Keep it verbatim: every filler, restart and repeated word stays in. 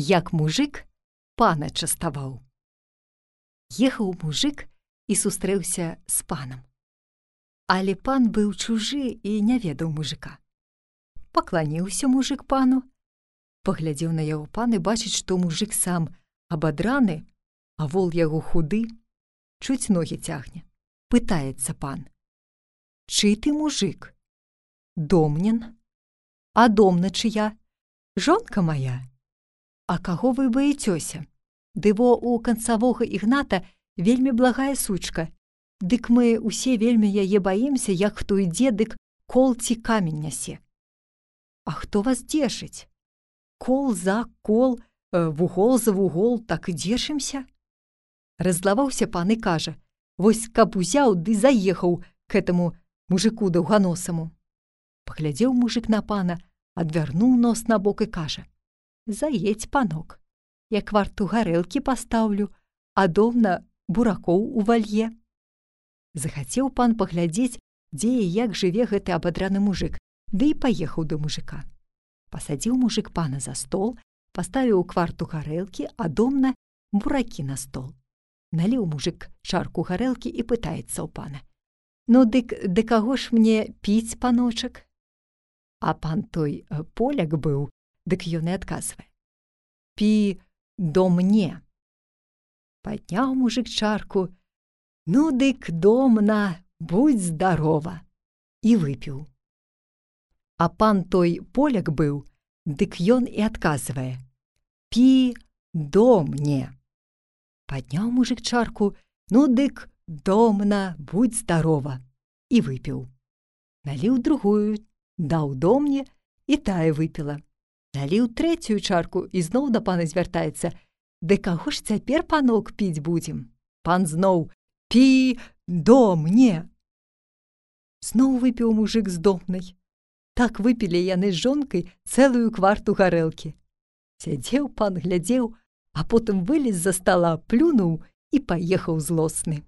як мужик пана частаваў. Ехаў мужик і сустрэўся з панам. Але пан быў чужы і не ведаў мужика. Пакланіўся мужик пану, паглядзеў на яго пан і бачыць, што мужик сам абадраны, а вол яго худы, чуць ногі цягне. Пытаецца пан: «Чый ты мужик?» «Домнін». «А домна чыя?» «Жонка моя». «А каго вы баіцёся?» «Ды во у канцавога Ігната вельмі благая сучка. Дык мы усе вельмі яе баімся, як хто ідзе, дык кол ці камень нясе». «А хто вас дзешыць?» «Кол за кол, вугол за вугол, так і дзешымся». Раззлаваўся пан і кажа: «Вось каб узяў ды заехаў к этаму мужику даўганосаму». Паглядзеў мужик на пана, адвярнуў нос на бок і кажа: «Заедь, панок, я кварту гарэлкі пастаўлю, а доўна буракоў увалье». Захацеў пан паглядзець, дзе і як жыве гэты абадраны мужик, ды і паехаў да мужика. Пасадзіў мужик пана за стол, паставіў кварту гарэлкі, а домна буракі на стол. Наліў мужик чарку гарэлкі і пытаецца ў пана: «Ну дык да каго ж мне піць, паночак?» А пан той поляк быў, дык ён і адказвае: «Пі до мне». Падняў мужик чарку: «Ну дык домна, будь здарова», і выпіў. А пан той поляк быў, дык ён і адказвае: «Пі до мне». Падняў мужик чарку: «Ну дык домна, будь здарова», і выпіў. Наліў другую, даў домне, і тая выпіла. Наліў трэцюю чарку і зноў да пана звяртаецца: «Ды каго ж цяпер, панок, піць будзем?» Пан зноў: «Пі до мне». Зноў выпіў мужик з домнай. Так выпілі яны з жонкай цэлую кварту гарэлкі. Сядзеў пан, глядзеў, а потым вылез з-за стала, плюнуў і паехаў злосны.